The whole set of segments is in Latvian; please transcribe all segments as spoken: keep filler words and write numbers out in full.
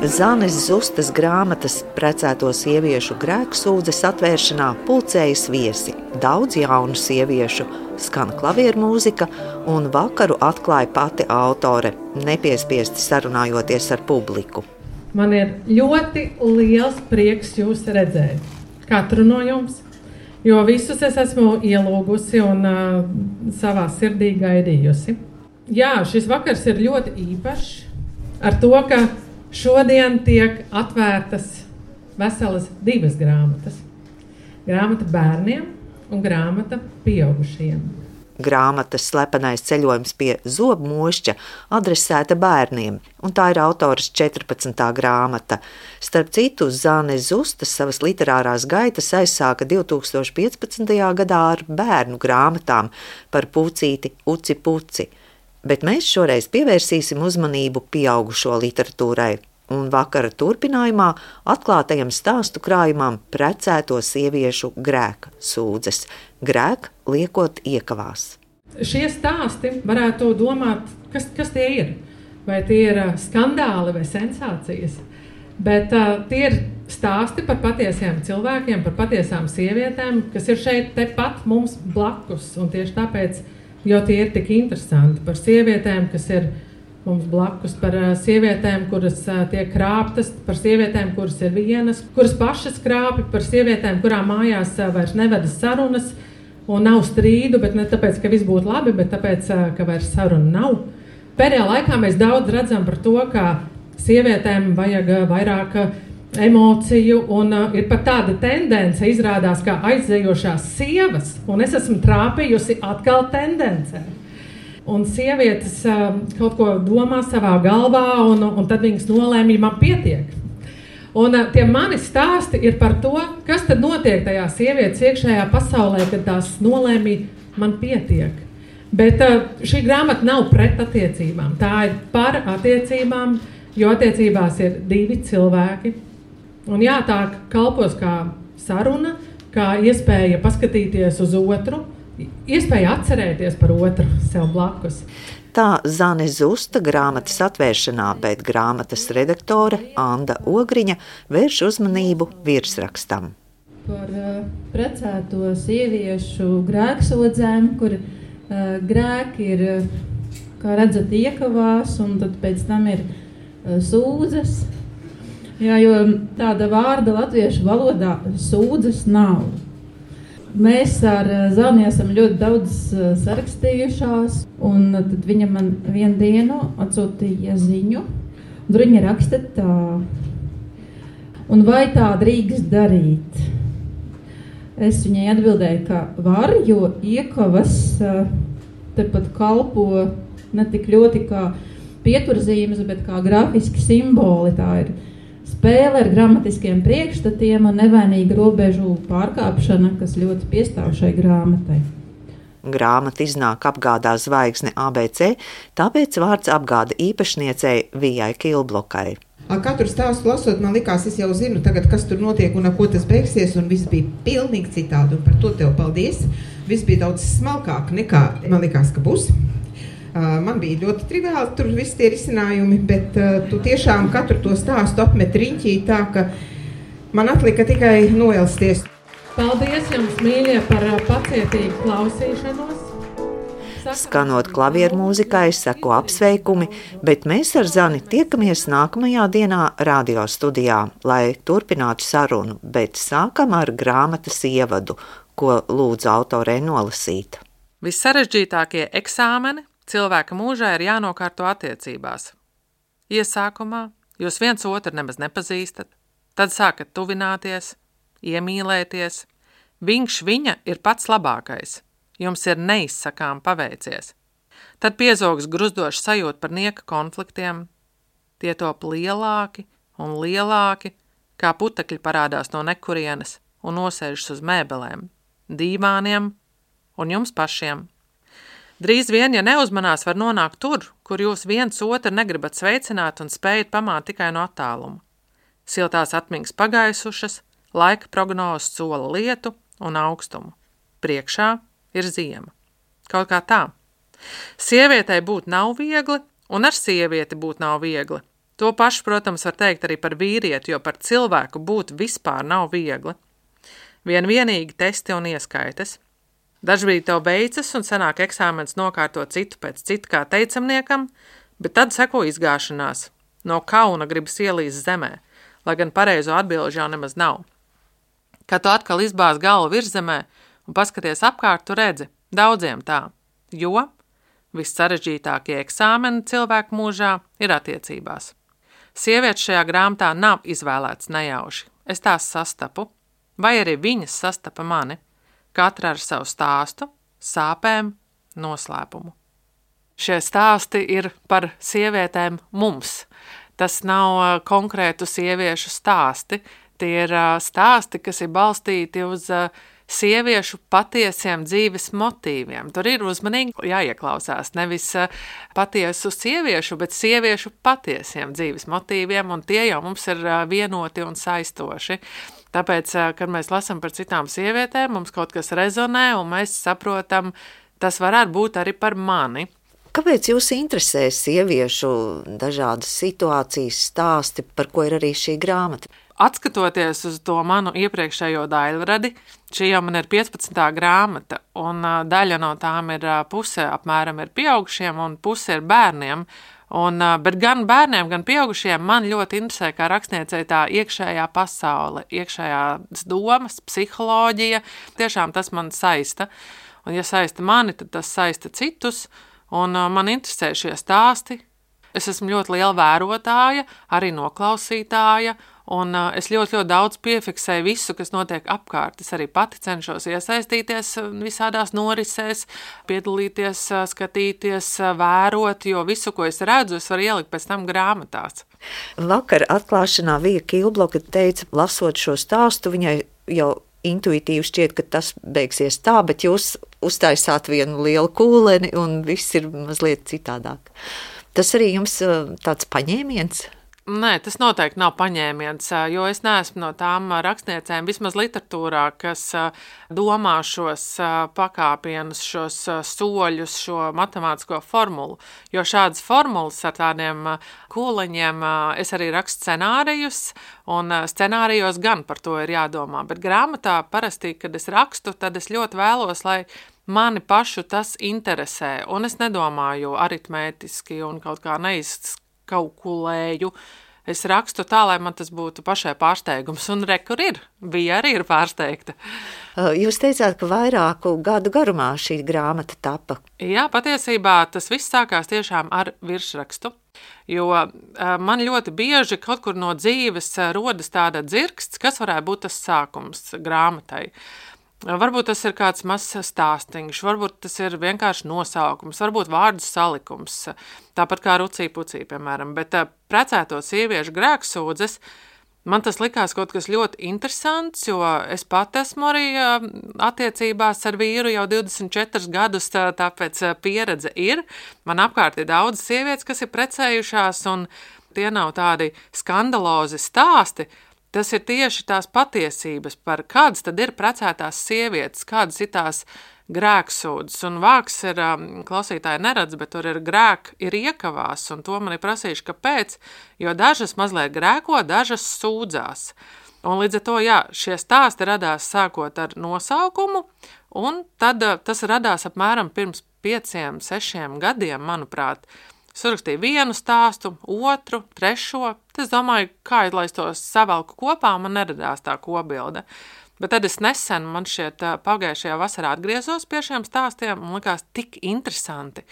Zanes Zustas grāmatas Precēto sieviešu grēksūdzes atvēršanā pulcējas viesi, daudz jaunu sieviešu, skan klavieru mūzika un vakaru atklāja pati autore, nepiespiesti sarunājoties ar publiku. Man ir ļoti liels prieks jūs redzēt, katru no jums, jo visus es esmu ielūgusi un uh, savā sirdī gaidījusi. Jā, šis vakars ir ļoti īpašs ar to, ka šodien tiek atvērtas veselas divas grāmatas. Grāmata bērniem un grāmata pieaugušajiem. Grāmatas Slepenais ceļojums pie zobmošķa adresēta bērniem, un tā ir autoras četrpadsmitā grāmata. Starp citu, Zane Zusta savas literārās gaitas aizsāka divtūkstoš piecpadsmitajā gadā ar bērnu grāmatām par pucīti Uci Puci. Bet mēs šoreiz pievērsīsim uzmanību pieaugušo literatūrai un vakara turpinājumā atklātajam stāstu krājumam Precēto sieviešu grēka sūdzes. Grēk liekot iekavās. Šie stāsti varētu domāt, kas, kas tie ir. Vai tie ir skandāli vai sensācijas. Bet uh, tie ir stāsti par patiesiem cilvēkiem, par patiesām sievietēm, kas ir šeit tepat mums blakus. Un tieši tāpēc, jo tie ir tik interesanti, par sievietēm, kas ir mums blakus, par sievietēm, kuras tiek krāptas, par sievietēm, kuras ir vienas, kuras pašas krāpi, par sievietēm, kurām mājās vairs nevedas sarunas un nav strīdu, bet ne tāpēc, ka viss būtu labi, bet tāpēc, ka vairs saruna nav. Pēdējā laikā mēs daudz redzam par to, ka sievietēm vajag vairāk emociju un ir pat tāda tendence izrādās kā aizējošās sievas, un es esmu trāpījusi atkal tendencē. Un sievietes uh, kaut ko domā savā galvā, un, un tad viņas nolēma, man pietiek. Un uh, tie mani stāsti ir par to, kas tad notiek tajā sievietes iekšējā pasaulē, kad tās nolēma, man pietiek. Bet uh, šī grāmata nav pret attiecībām, tā ir par attiecībām, jo attiecībās ir divi cilvēki. Un jā, tā kalpos kā saruna, kā iespēja paskatīties uz otru, iespēja atcerēties par otru sev blakus. Tā Zane Zusta grāmatas atvēršanā, bet grāmatas redaktore Anda Ogriņa vērš uzmanību virsrakstam. Par uh, precēto sieviešu grēksūdzēm, kur uh, grēki ir, kā redzat, iekavās, un tad pēc tam ir uh, sūdzes. Jā, jo tāda vārda latviešu valodā sūdzes nav. Mēs ar Zani esam ļoti daudz sarakstījušās, un tad viņa man vienu dienu atsūtīja ziņu, un tur viņa raksta tā. Un vai tā drīkst darīt? Es viņai atbildēju, ka var, jo iekavas tepat kalpo ne tik ļoti kā pieturzīmes, bet kā grafiski simboli. Tā ir spēle ar gramatiskiem priekšstatiem un nevainīga robežu pārkāpšana, kas ļoti piestāv šai grāmatai. Grāmata iznāk apgādā zvaigzne A B C, tāpēc vārds apgāda īpašniecei Vijai Kilblokai. Katru stāstu lasot, man likās, es jau zinu tagad, kas tur notiek un ar ko tas beigsies, un viss bija pilnīgi citādi, un par to tev paldies. Viss bija daudz smalkāk nekā man likās, ka būs. Uh, man bija ļoti triviāli tur visi tie risinājumi, bet uh, tu tiešām katru to stāstu apmet riņķī tā, ka man atlika tikai noelsties. Paldies jums, mīļie, par pacietīgu klausīšanos. Skanot klavieru mūzikai, seko apsveikumi, bet mēs ar Zani tiekamies nākamajā dienā radio studijā, lai turpinātu sarunu, bet sākam ar grāmatas ievadu, ko lūdzu autorei nolasīt. Vissarežģītākie eksāmeni cilvēka mūžā ir jānokārto attiecībās. Iesākumā jūs viens otru nemaz nepazīstat, tad sākat tuvināties, iemīlēties. Viņš viņa ir pats labākais. Jums ir neizsakām paveicies. Tad piezogs gruzdošs sajūta par nieka konfliktiem. Tie top lielāki un lielāki, kā putekļi parādās no nekurienes un nosēžas uz mēbelēm, dīvāniem un jums pašiem. Drīz vien, ja neuzmanās, var nonākt tur, kur jūs viens otru negribat sveicināt un spējat pamāt tikai no attāluma. Siltās atmiņas pagaisušas, laika prognozes sola lietu un augstumu. Priekšā ir ziema. Kaut kā tā. Sievietei būt nav viegli, un ar sievieti būt nav viegli. To pašu, protams, var teikt arī par vīrieti, jo par cilvēku būt vispār nav viegli. Vien vienīgi testi un ieskaites. Dažbrīd tev beidzas un sanāk eksāmens nokārtot citu pēc citu kā teicamniekam, bet tad seko izgāšanās. No kauna gribas ielīst zemē, lai gan pareizo atbilžu jau nemaz nav. Kad tu atkal izbāz galvu virzemē un paskaties apkārt, tu redzi, daudziem tā, jo vissarežģītākie eksāmeni cilvēku mūžā ir attiecībās. Sievietes šajā grāmatā nav izvēlētas nejauši. Es tās sastapu, vai arī viņas sastapa mani, katra ar savu stāstu, sāpēm, noslēpumu. Šie stāsti ir par sievietēm mums. Tas nav konkrētu sieviešu stāsti, tie ir stāsti, kas ir balstīti uz sieviešu patiesiem dzīves motīviem. Tur ir uzmanīgi jāieklausās nevis patiesu sieviešu, bet sieviešu patiesiem dzīves motīviem, un tie jau mums ir vienoti un saistoši. Tāpēc, kad mēs lasām par citām sievietēm, mums kaut kas rezonē, un mēs saprotam, tas varētu būt arī par mani. Kāpēc jūs interesē sieviešu dažādas situācijas stāsti, par ko ir arī šī grāmata? Atskatoties uz to manu iepriekšējo daļradi, šī jau man ir piecpadsmitā grāmata, un daļa no tām ir puse apmēram ir pieaugušiem un puse ir bērniem. Un, bet gan bērniem, gan pieaugušiem man ļoti interesē kā rakstniecei tā iekšējā pasaule, iekšējās domas, psiholoģija. Tiešām tas man saista. Un ja saista mani, tad tas saista citus. Un man interesē šie stāsti. Es esmu ļoti liela vērotāja, arī noklausītāja, un es ļoti, ļoti daudz piefiksēju visu, kas notiek apkārt. Es arī pati cenšos iesaistīties visādās norisēs, piedalīties, skatīties, vērot, jo visu, ko es redzu, es varu ielikt pēc tam grāmatās. Vakar atklāšanā Vija Kilbloka teica, lasot šo stāstu, viņai jau intuitīvi šķiet, ka tas beigsies tā, bet jūs uztaisāt vienu lielu kūleni un viss ir mazliet citādāk. Tas arī jums tāds paņēmiens? Nē, tas noteikti nav paņēmiens, jo es neesmu no tām rakstniecēm, vismaz literatūrā, kas domā šos pakāpienus, šos soļus, šo matemātisko formulu. Jo šādas formulas ar tādiem kūleņiem es arī rakstu scenārijus, un scenārijos gan par to ir jādomā. Bet grāmatā parasti, kad es rakstu, tad es ļoti vēlos, lai mani pašu tas interesē, un es nedomāju aritmētiski un kaut kā neizkalkulēju. Es rakstu tā, lai man tas būtu pašai pārsteigums, un re, kur ir, bija arī ir pārsteigta. Jūs teicāt, ka vairāku gadu garumā šī grāmata tapa. Jā, patiesībā tas viss sākās tiešām ar virsrakstu, jo man ļoti bieži kaut kur no dzīves rodas tāda dzirksts, kas varētu būt tas sākums grāmatai. Varbūt tas ir kāds mazs stāstiņš, varbūt tas ir vienkārši nosaukums, varbūt vārdu salikums, tāpat kā rucī pucī, piemēram. Bet precēto sieviešu grēksūdzes, man tas likās kaut kas ļoti interesants, jo es pat esmu arī attiecībās ar vīru jau divdesmit četrus gadus, tāpēc pieredze ir. Man apkārt ir daudz sievietes, kas ir precējušās, un tie nav tādi skandalozi stāsti. Tas ir tieši tās patiesības par kādas tad ir precētās sievietes, kādas ir tās grēksūdzes. Un vāks ir, klausītāji neredz, bet tur ir grēk, ir iekavās, un to man ir prasījuši, kāpēc, jo dažas mazliet grēko, dažas sūdzās. Un līdz ar to, jā, šie stāsti radās sākot ar nosaukumu, un tad tas radās apmēram pirms pieciem, sešiem gadiem, manuprāt. Es uzrakstīju vienu stāstu, otru, trešo. Es domāju, kā lai es tos savalku kopā, man neradās tā kopbilde. Bet tad es nesen, man šķiet, pagājušajā vasarā atgriezos pie šiem stāstiem un likās tik interesanti.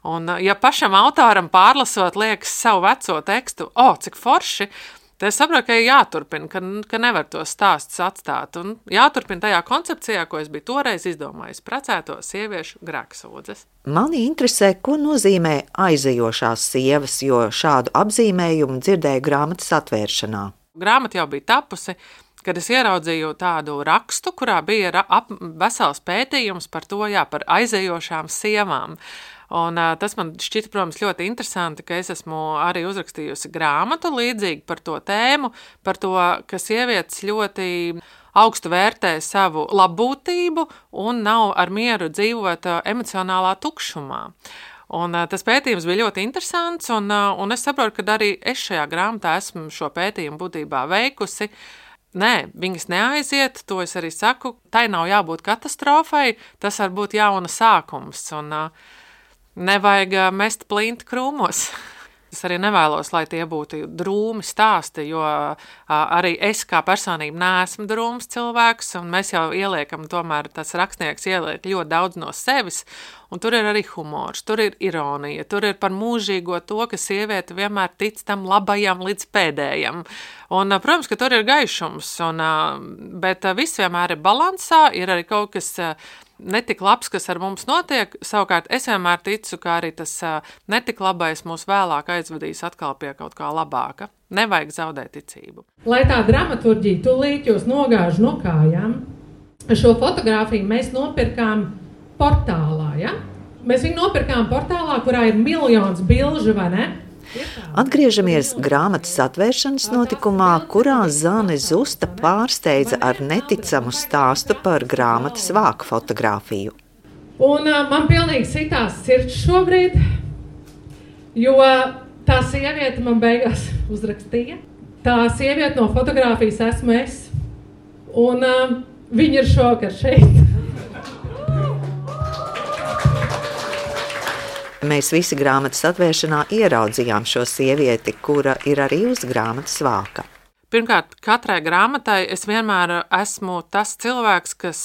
Un ja pašam autoram pārlasot liekas savu veco tekstu, o, cik forši, tad es saprotu, ka ir jāturpina, ka, ka nevar tos stāstus atstāt. Un jāturpina tajā koncepcijā, ko es biju toreiz izdomājis, precēto sieviešu grēksūdzes. Mani interesē, ko nozīmē aizejošās sievas, jo šādu apzīmējumu dzirdēju grāmatas atvēršanā. Grāmata jau bija tapusi, kad es ieraudzīju tādu rakstu, kurā bija ra- ap, vesels pētījums par to, jā, par aizejošām sievām. Un uh, tas man šķita, protams, ļoti interesanti, ka es esmu arī uzrakstījusi grāmatu līdzīgi par to tēmu, par to, ka sievietes ļoti augstu vērtē savu labbūtību un nav ar mieru dzīvot emocionālā tukšumā. Un, uh, tas pētījums bija ļoti interesants, un, uh, un es saprotu, ka arī es šajā grāmatā esmu šo pētījumu būtībā veikusi. Nē, viņas neaiziet, to es arī saku, tai nav jābūt katastrofai, tas var būt jauna sākums, un uh, nevajag uh, mest plinti krūmos. Es arī nevēlos, lai tie būtu drūmi stāsti, jo uh, arī es kā personība neesmu drūms cilvēks, un mēs jau ieliekam, tomēr tas rakstnieks ieliek ļoti daudz no sevis, un tur ir arī humors, tur ir ironija, tur ir par mūžīgo to, ka sieviete vienmēr tic tam labajam līdz pēdējam. Un, uh, protams, ka tur ir gaišums, un, uh, bet uh, viss vienmēr ir balansā, ir arī kaut kas uh, netik labs, kas ar mums notiek. Savukārt es vienmēr ticu, ka arī tas uh, netik labais mūs vēlāk aizvedīs atkal pie kaut kā labāka. Nevajag zaudēt ticību. Lai tā dramaturģija tūlīt jūs nogāž no kājām, šo fotogrāfiju mēs nopirkām portālā, ja? Mēs viņu nopirkām portālā, kurā ir miljons bilžu, vai ne? Atgriežamies grāmatas atvēršanas notikumā, kurā Zane Zusta pārsteidza ar neticamu stāstu par grāmatas vāku fotogrāfiju. Un uh, man pilnīgi sitās sirds šobrīd, jo tā sieviete man beigās uzrakstīja. Tā sieviete no fotogrāfijas esmu es, un uh, viņa ir šokar šeit. Mēs visi grāmatas atvēršanā ieraudzījām šo sievieti, kura ir arī uz grāmatas vāka. Pirmkārt, katrai grāmatai es vienmēr esmu tas cilvēks, kas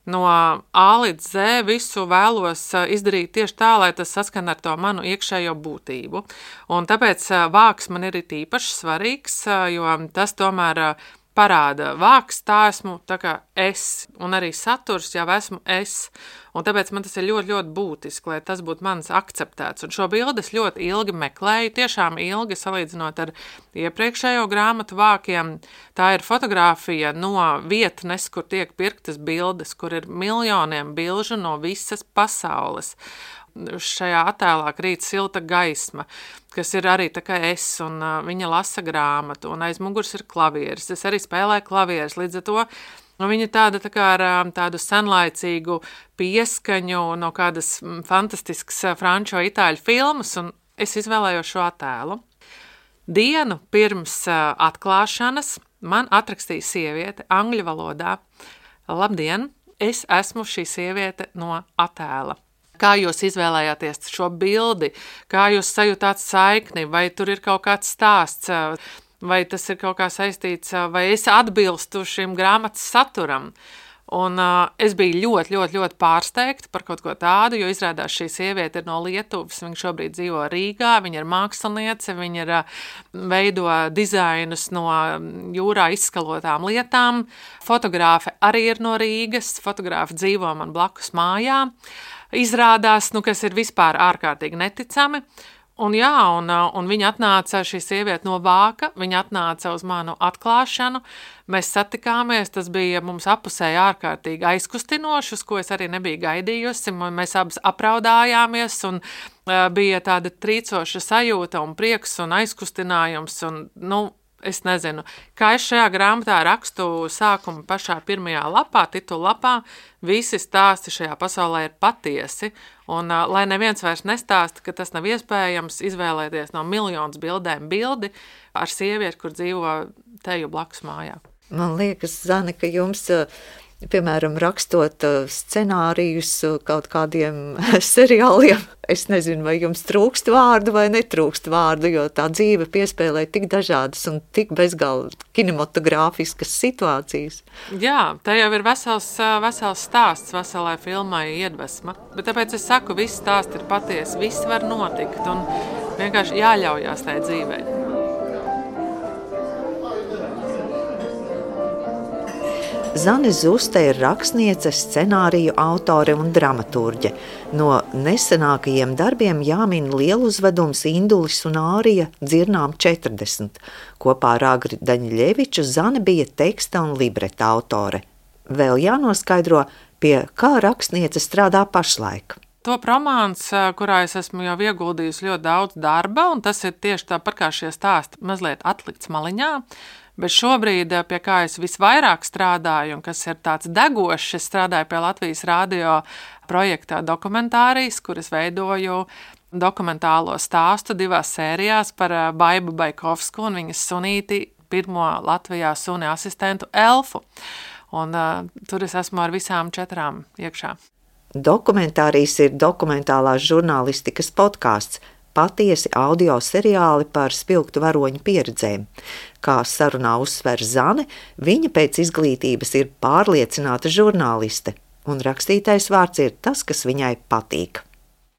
no A līdz Z visu vēlos izdarīt tieši tā, lai tas saskan ar to manu iekšējo būtību. Un tāpēc vāks man ir īpaši svarīgs, jo tas tomēr parāda vāks, tā esmu tā kā es, un arī saturs jau esmu es. Un tāpēc man tas ir ļoti, ļoti būtiski, lai tas būtu mans akceptēts. Un šo bildi es ļoti ilgi meklēju, tiešām ilgi salīdzinot ar iepriekšējo grāmatu vākiem. Tā ir fotogrāfija no vietnes, kur tiek pirktas bildes, kur ir miljoniem bilžu no visas pasaules. Šajā attēlā krīt silta gaisma, kas ir arī tā kā es, un uh, viņa lasa grāmatu, un aiz muguras ir klavieris. Es arī spēlēju klavieris, līdz ar to nu, viņa tāda tā kā ar tādu senlaicīgu pieskaņu no kādas fantastiskas franču vai itāļu filmas, un es izvēlējos šo attēlu. Dienu pirms uh, atklāšanas man atrakstīja sieviete angļu valodā. Labdien, es esmu šī sieviete no attēla. Kā jūs izvēlējāties šo bildi, kā jūs sajūtāt saikni, vai tur ir kaut kāds stāsts, vai tas ir kaut kā saistīts, vai es atbilstu šim grāmatas saturam. Un uh, es biju ļoti, ļoti, ļoti pārsteigta par kaut ko tādu, jo izrādās šī sieviete ir no Lietuvas, viņa šobrīd dzīvo Rīgā, viņa ir māksliniece, viņa ir uh, veido dizainus no jūrā izskalotām lietām. Fotogrāfe arī ir no Rīgas, fotogrāfe dzīvo man blakus mājā. Izrādās, nu, kas ir vispār ārkārtīgi neticami. Un jā, un, un viņa atnāca, šī sieviete no vāka, viņa atnāca uz manu atklāšanu, mēs satikāmies, tas bija mums apusēji ārkārtīgi aizkustinoši, uz ko es arī nebiju gaidījusi, mēs abas apraudājāmies, un uh, bija tāda trīcoša sajūta un prieks un aizkustinājums, un, nu, es nezinu, kā es šajā grāmatā rakstu sākumu pašā pirmajā lapā, titula lapā, visi stāsti šajā pasaulē ir patiesi, un uh, lai neviens vairs nestāsta, ka tas nav iespējams izvēlēties no miljonas bildēm bildi ar sievieti, kur dzīvo teju blakus mājā. Man liekas, Zane, ka jums, piemēram, rakstot scenārijus kaut kādiem seriāliem, es nezinu, vai jums trūkst vārdu vai netrūkst vārdu, jo tā dzīve piespēlē tik dažādas un tik bezgalīgi kinematogrāfiskas situācijas. Jā, tā jau ir vesels, vesels stāsts, veselai filmai iedvesma, bet tāpēc es saku, viss stāsts ir patiesi, viss var notikt un vienkārši jāļaujās tai dzīvei. Zane Zusta ir rakstniece, scenāriju autore un dramaturģe. No nesenākajiem darbiem jāmin lieluzvedums Indulis un Ārija dzirnām četrdesmit. Kopā ar Agri Daņļeviču Zane bija teksta un libreta autore. Vēl jānoskaidro, pie kā rakstniece strādā pašlaik. Top romāns, kurā es esmu jau ieguldījusi ļoti daudz darba, un tas ir tieši tāpat kā šie stāsti mazliet atlikts maliņā. Bet šobrīd, pie kā es visvairāk strādāju, un kas ir tāds degošs, es strādāju pie Latvijas radio projektā Dokumentārijas, kur es veidoju dokumentālo stāstu divās sērijās par Baibu Baikovsku un viņas sunīti, pirmo Latvijā suni asistentu Elfu. Un uh, tur es esmu ar visām četrām iekšā. Dokumentārijas ir dokumentālās žurnālistikas podkāsts, patiesi audio seriāli par spilgtu varoņu pieredzēm. Kā sarunā uzsver Zane, viņa pēc izglītības ir pārliecināta žurnāliste, un rakstītais vārds ir tas, kas viņai patīk.